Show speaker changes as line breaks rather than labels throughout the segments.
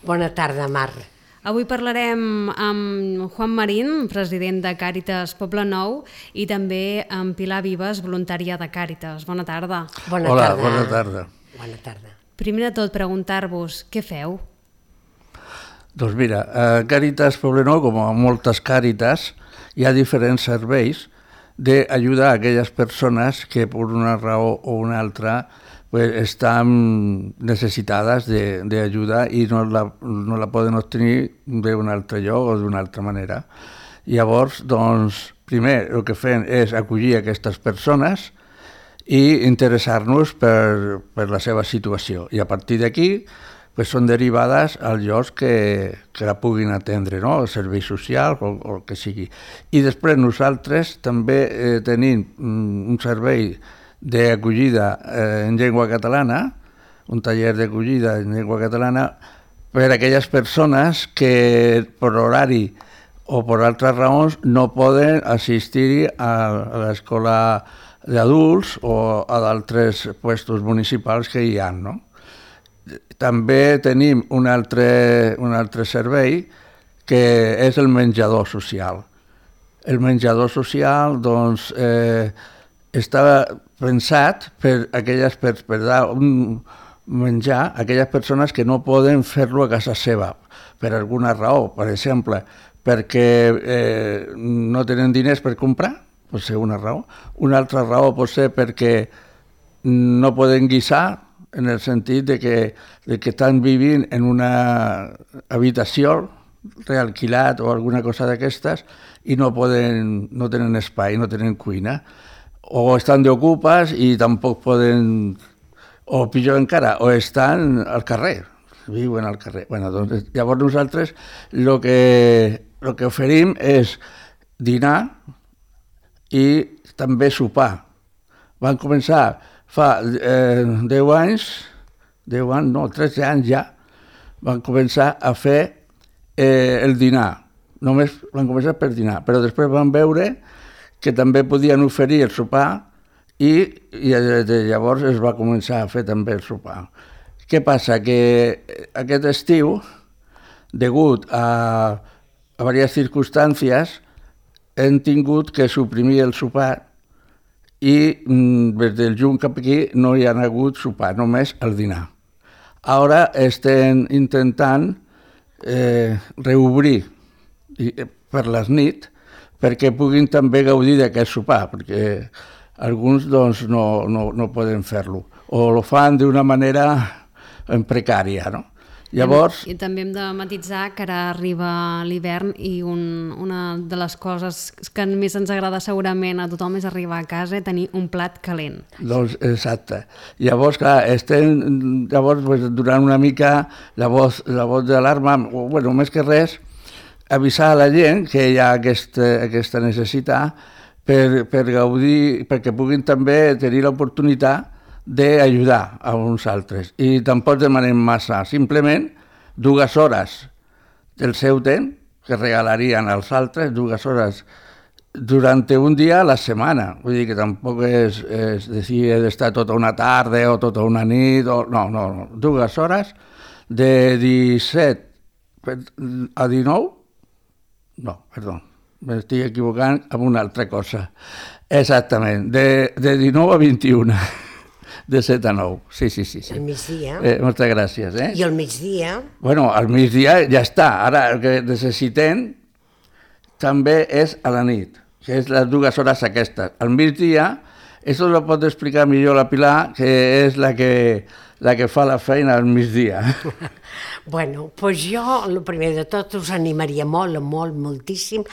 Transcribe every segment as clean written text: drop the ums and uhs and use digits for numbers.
Bona tarda, Mar.
Avui parlarem amb Juan Marín, president de Càritas Poblenou, i també amb Pilar Vives, voluntària de Càritas. Bona tarda.
Hola, bona tarda.
Bona tarda.
Primer de tot, preguntar-vos, què feu?
Doncs mira, a Càritas Poblenou, com a moltes càritas, hi ha diferents serveis d'ajudar a aquelles persones que per una raó o una altra estan necessitades d'ajuda i no la poden obtenir d'un altre lloc o d'una altra manera. Llavors, doncs, primer el que fem és acollir aquestes persones i interessar-nos per la seva situació. I a partir d'aquí són derivades als llocs que la puguin atendre, no? El servei social o el que sigui. I després nosaltres també tenim un servei d'acollida en llengua catalana, un taller d'acollida en llengua catalana per a aquelles persones que per horari o per altres raons no poden assistir a l'escola d'adults o a d'altres puestos municipals que hi ha, no? També tenim un altre servei que és el menjador social. El menjador social, doncs, està pensat per dar un menjar a aquelles persones que no poden fer-lo a casa seva, per alguna raó. Per exemple, perquè no tenen diners per comprar, pot ser una raó. Una altra raó pot ser perquè no poden guisar, en el sentit de que estan vivint en una habitació realquilat o alguna cosa d'aquestes i no tenen espai, no tenen cuina. O estan d'ocupes i tampoc poden, o pitjor encara, o estan al carrer, viuen al carrer. Doncs, llavors nosaltres el que oferim és dinar i també sopar. Van començar fa 13 anys ja, van començar a fer el dinar. Només van començar per dinar, però després van veure que també podien oferir el sopar i llavors es va començar a fer també el sopar. Què passa? Que aquest estiu, degut a diverses circumstàncies, hem tingut que suprimir el sopar i des del juny cap aquí no hi ha hagut sopar, només el dinar. Ara estem intentant reobrir per les nits perquè puguin també gaudir d'aquest sopar, perquè alguns doncs, no poden fer-lo, o ho fan d'una manera precària, no? Llavors...
I també hem de matitzar que ara arriba l'hivern i una de les coses que més ens agrada segurament a tothom és arribar a casa i tenir un plat calent.
Doncs exacte. Llavors, clar, estem donant una mica la voz d'alarma, bueno, més que res, avisar a la gent que hi ha aquesta necessitat per gaudir, perquè puguin també tenir l'oportunitat d'ajudar a uns altres. I tampoc demanem massa, simplement 2 hores del seu temps que regalarien als altres, 2 hores durant un dia a la setmana. Vull dir que tampoc és dir he d'estar tota una tarda o tota una nit, no, 2 hores de 17 a 19. No, perdó, m'estic equivocant amb una altra cosa. Exactament, de 19 a 21. De 7 a 9, sí.
El migdia.
Moltes gràcies.
I el migdia?
Bueno, al migdia ja està. Ara el que necessitem també és a la nit, que és les 2 hores aquestes. Al migdia, això ho pot explicar millor la Pilar, que és la que fa la feina al migdia.
Bueno, doncs jo, el primer de tot, us animaria moltíssim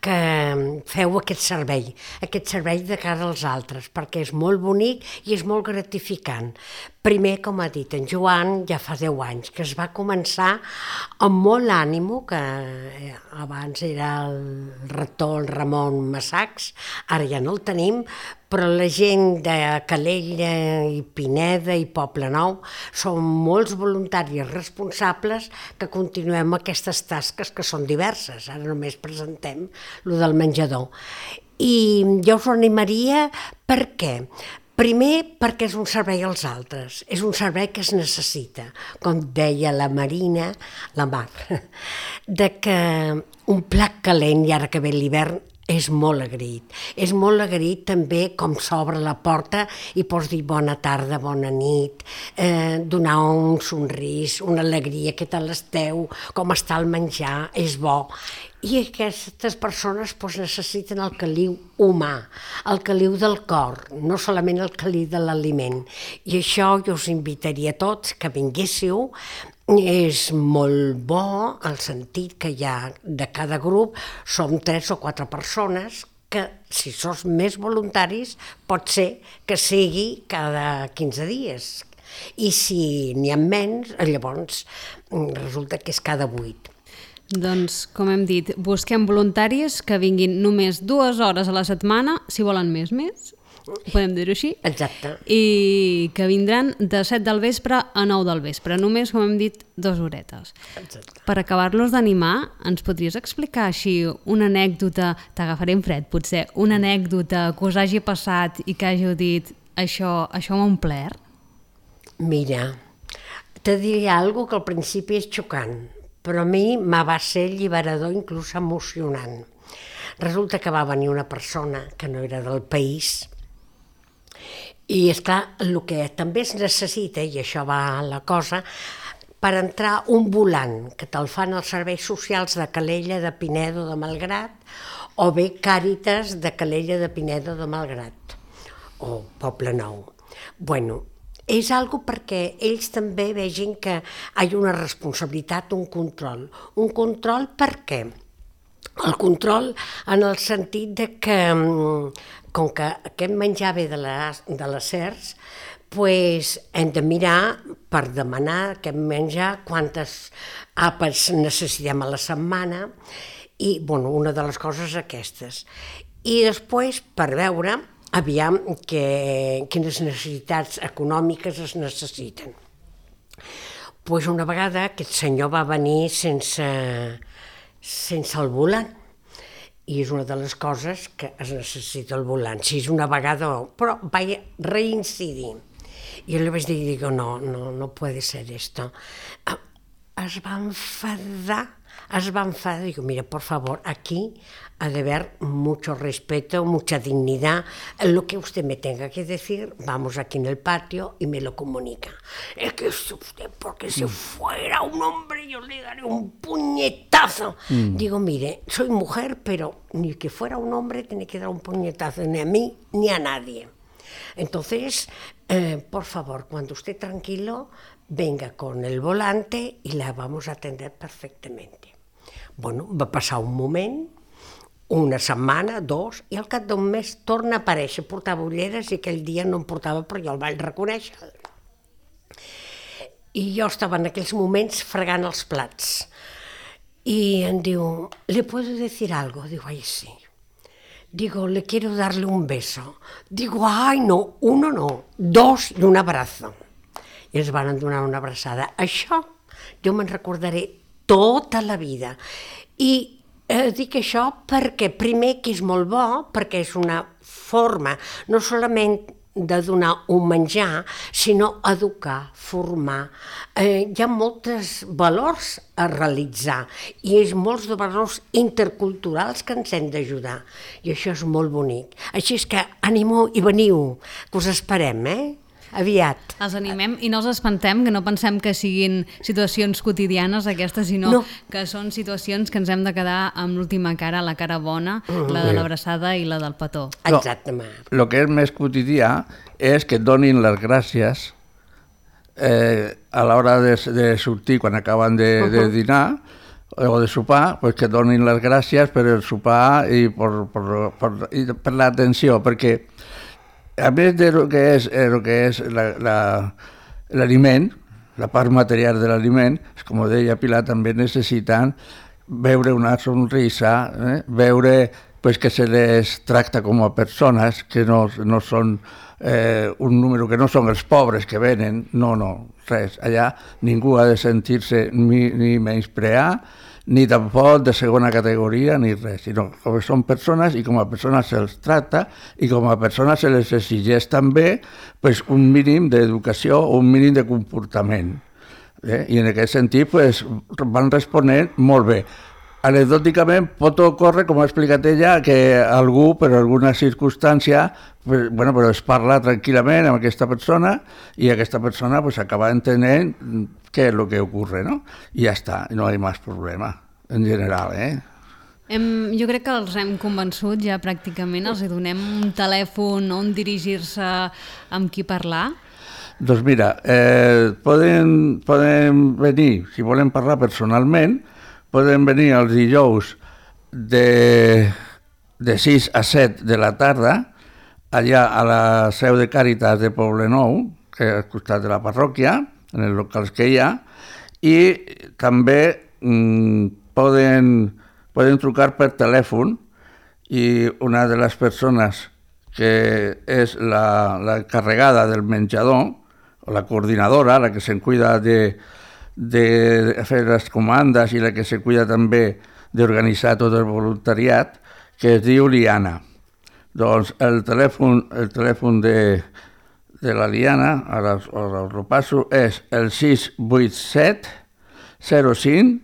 que feu aquest servei de cara als altres, perquè és molt bonic i és molt gratificant. Primer, com ha dit en Joan, ja fa 10 anys que es va començar amb molt ànimo, que abans era el rector, el Ramon Massacs, ara ja no el tenim, però la gent de Calella i Pineda i Poblenou són molts voluntaris responsables que continuem aquestes tasques que són diverses. Ara només presentem lo del menjador. I jo us animaria, per què? Primer, perquè és un servei als altres, és un servei que es necessita, com deia la Marina, la Mar, de que un plat calent, i ara que ve l'hivern, és molt agraït. És molt agraït també com s'obre la porta i pots dir bona tarda, bona nit, donar un somrís, una alegria, què tal esteu, com està el menjar, és bo. I aquestes persones necessiten el caliu humà, el caliu del cor, no solament el caliu de l'aliment. I això jo us invitaria a tots que vinguéssiu. És molt bo el sentit que hi ha de cada grup, som 3 o 4 persones que, si sos més voluntaris, pot ser que sigui cada 15 dies. I si n'hi ha menys, llavors resulta que és cada 8.
Doncs, com hem dit, busquem voluntaris que vinguin només 2 hores a la setmana, si volen més, podem dir-ho així.
Exacte.
I que vindran de 7 del vespre a 9 del vespre, només, com hem dit, 2 horetes.
Exacte.
Per acabar-los d'animar, ens podries explicar així una anècdota, t'agafaré en fred potser, una anècdota que us hagi passat i que hàgiu dit això m'ha omplert?
Mira, te diré alguna que al principi és xocant, però a mi va ser alliberador, inclús emocionant. Resulta que va venir una persona que no era del país i, esclar, el que també es necessita, i això va la cosa, per entrar un volant, que te'l fan els serveis socials de Calella, de Pinedo, de Malgrat, o bé Càritas de Calella, de Pinedo, de Malgrat, o Poble Nou. Bueno, és algo perquè ells també vegin que hi ha una responsabilitat, un control. Un control per què? El control en el sentit de que, com que aquest menjar ve de les SERS, hem de mirar per demanar aquest menjar quantes àpats necessitem a la setmana i, una de les coses aquestes. I després, per veure, aviam quines necessitats econòmiques es necessiten. Una vegada aquest senyor va venir sense el volant, i és una de les coses que es necessita el volant. Si és una vegada, però vaig reincidir. I jo li vaig dir, no puede ser esto. Es va enfadar, digo, mira, por favor, aquí ha de haber mucho respeto, mucha dignidad. Lo que usted me tenga que decir, vamos aquí en el patio y me lo comunica. Es que usted, porque si fuera un hombre, yo le daré un puñetazo. Digo, mire, soy mujer, pero ni que fuera un hombre tiene que dar un puñetazo, ni a mí ni a nadie. Entonces, por favor, cuando esté tranquilo, venga con el volante y la vamos a atender perfectamente. Va passar un moment, una setmana, 2, i al cap d'un mes torna a aparèixer, portava ulleres i aquell dia no em portava, però jo el vaig reconèixer. I jo estava en aquells moments fregant els plats. I em diu, ¿le puedo decir algo? Digo, ay, sí. Digo, le quiero darle un beso. Digo, ay, no, 1 no, 2 i un abrazo. I ens van donar una abraçada. Això jo me'n recordaré tota la vida. I dic això perquè, primer, que és molt bo, perquè és una forma no solament de donar un menjar, sinó educar, formar. Hi ha molts valors a realitzar i és molts de valors interculturals que ens hem d'ajudar. I això és molt bonic. Així és que animeu i veniu, que us esperem, aviat.
Els animem i no els espantem, que no pensem que siguin situacions quotidianes aquestes, sinó que són situacions que ens hem de quedar amb l'última cara, la cara bona, la de l'abraçada i la del petó.
Exactament.
El que és més quotidià és que et donin les gràcies a l'hora de sortir, quan acaben de dinar o de sopar, que et donin les gràcies per el sopar i per l'atenció, perquè a més de lo que és l'aliment, la part material de l'aliment, com deia Pilar, també necessiten veure una sonrisa, veure pues que se les tracta com a persones, que no són un número, que no són els pobres que venen, no, res. Allà ningú ha de sentir-se ni menysprear, ni tampoc de segona categoria, ni res, sinó que són persones i com a persones se'ls tracta i com a persones se les exigeix també pues, un mínim d'educació o un mínim de comportament. I en aquest sentit pues, van responent molt bé. Anecdòticament pot ocórrer, com ha explicat ella, que algú, per alguna circumstància, pues, bueno, però es parla tranquil·lament amb aquesta persona i aquesta persona pues, acaba entenent què és el que ocorre, ¿no? I ja està, no hi ha més problema, en general,
Jo crec que els hem convençut ja pràcticament, els donem un telèfon on dirigir-se amb qui parlar.
Doncs mira, poden venir, si volen parlar personalment, poden venir els dijous de 6 a 7 de la tarda, allà a la seu de Càritas de Poblenou, que és al costat de la parròquia, en els locals que hi ha, i també poden trucar per telèfon i una de les persones que és la encarregada del menjador, o la coordinadora, la que se'n cuida de fer les comandes i la que se cuida també d'organitzar tot el voluntariat, que es diu Liana. Doncs el telèfon de la Liana, ara us ho passo, és el 687 05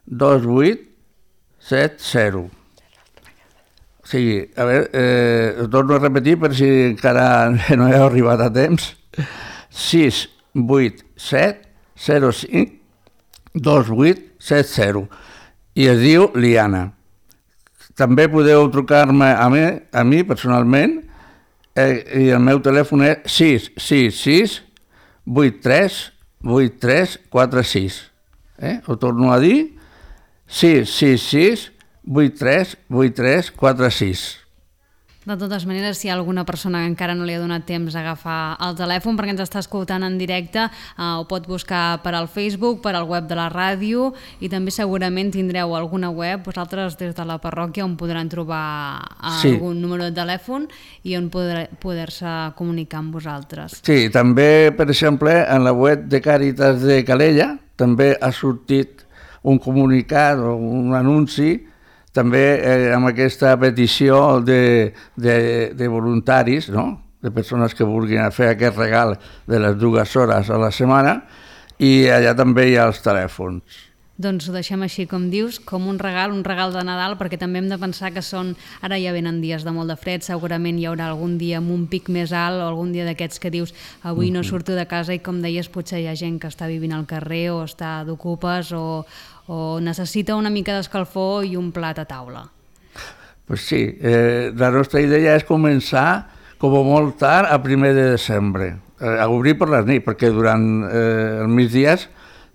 28 70. O sigui, a veure, ho torno a repetir per si encara no he arribat a temps. 687 05 2870 i es diu Liana. També podeu trucar-me a mi personalment i el meu telèfon és 666 83 83 46. Ho torno a dir, 666 83 83 46.
De totes maneres, si hi ha alguna persona que encara no li ha donat temps a agafar el telèfon perquè ens està escoltant en directe, ho pot buscar per al Facebook, per al web de la ràdio, i també segurament tindreu alguna web vosaltres des de la parròquia on podran trobar algun número de telèfon i on poder-se comunicar amb vosaltres.
Sí, també, per exemple, en la web de Càritas de Calella també ha sortit un comunicat o un anunci també amb aquesta petició de voluntaris, no? De persones que vulguin fer aquest regal de les 2 hores a la setmana, i allà també hi ha els telèfons.
Doncs ho deixem així, com dius, com un regal de Nadal, perquè també hem de pensar que ara ja venen dies de molt de fred, segurament hi haurà algun dia amb un pic més alt o algun dia d'aquests que dius avui no surto de casa i, com deies, potser hi ha gent que està vivint al carrer o està d'ocupes o necessita una mica d'escalfor i un plat a taula.
Pues sí, la nostra idea és començar com a molt tard a 1 de desembre, a obrir per les nits, perquè durant els migdies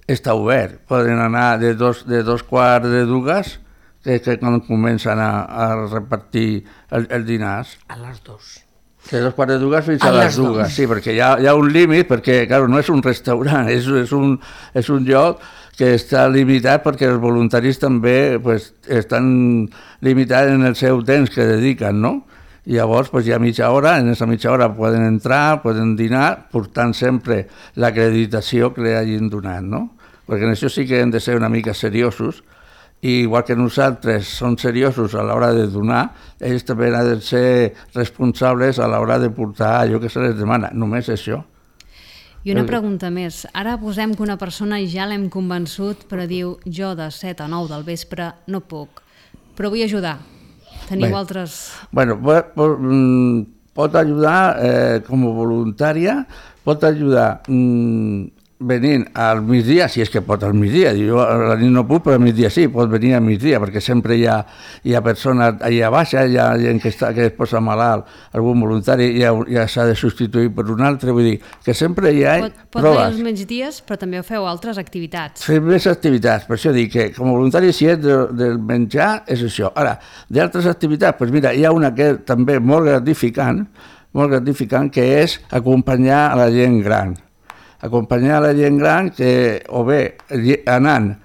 està obert. Poden anar de 2:15, que és quan comencen a repartir els dinars.
A les 2.
De 2:15 fins a les 2, sí, perquè hi ha un límit, perquè, clar, no és un restaurant, és un lloc que està limitat perquè els voluntaris també pues, estan limitats en el seu temps que dediquen, no? I llavors pues, hi ha mitja hora, en aquesta mitja hora poden entrar, poden dinar, portant sempre l'acreditació que li hagin donat, no? Perquè en això sí que hem de ser una mica seriosos, i igual que nosaltres som seriosos a l'hora de donar, ells també han de ser responsables a l'hora de portar allò que se les demana, només això.
I una pregunta més. Ara posem que una persona ja l'hem convençut, però diu, jo de 7 a 9 del vespre no puc, però vull ajudar. Teniu altres...
Bueno, pot ajudar com a voluntària, pot ajudar venint al migdia, si és que pot al migdia. Jo a la nit no puc, però al migdia sí, pot venir al migdia, perquè sempre hi ha persones allà baixa, hi ha gent que es posa malalt, algun voluntari ja s'ha de substituir per un altre, vull dir que sempre hi ha
pot venir els migdies, però també feu altres activitats.
Fem més activitats, per això dic que com a voluntari si és del menjar és això. Ara, d'altres activitats, doncs mira, hi ha una que també molt gratificant, que és acompanyar a la gent gran. Acompanyar la gent gran que o bé anant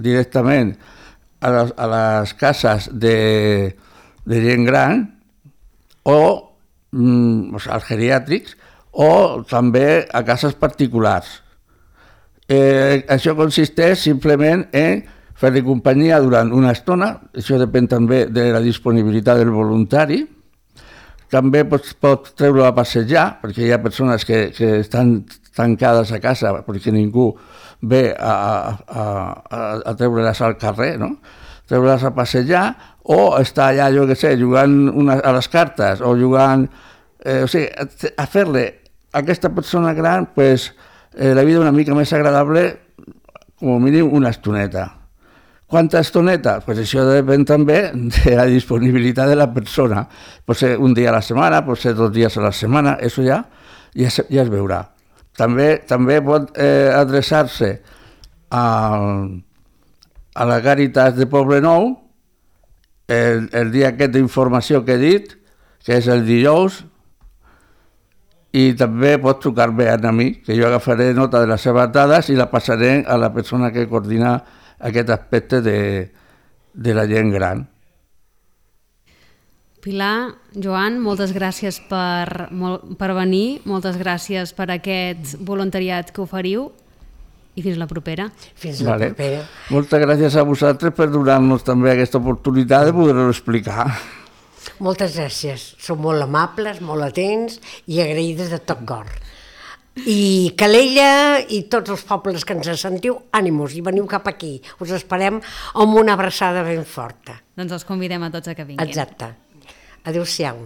directament a les cases de gent gran o als geriàtrics o també a cases particulars. Això consisteix simplement en fer-li companyia durant una estona, això depèn també de la disponibilitat del voluntari. També pot treure-lo a passejar, perquè hi ha persones que estan tancades a casa perquè ningú ve a treure-les al carrer, no? Treure-les a passejar o estar allà, jo què sé, jugant a les cartes o jugant... O sigui, a fer-li a aquesta persona gran la vida una mica més agradable, com a mínim una estoneta. Quanta estoneta? Pues això depèn també de la disponibilitat de la persona. Pot ser un dia a la setmana, pot ser 2 dies a la setmana, això ja es veurà. També pot adreçar-se a la Càritas de Poblenou el dia aquest d'informació que he dit, que és el dijous, i també pot trucar-me a mi, que jo agafaré nota de les seves dades i la passaré a la persona que coordina aquest aspecte de la gent gran.
Pilar, Joan, moltes gràcies per venir, moltes gràcies per aquest voluntariat que oferiu i fins la propera.
Fins la propera.
Moltes gràcies a vosaltres per donar-nos també aquesta oportunitat de poder-ho explicar.
Moltes gràcies. Sou molt amables, molt atents i agraïdes de tot cor. I Calella i tots els pobles que ens sentiu, ànimos, i veniu cap aquí. Us esperem amb una abraçada ben forta.
Doncs els convidem a tots a que vinguin.
Exacte. Adéu-siau.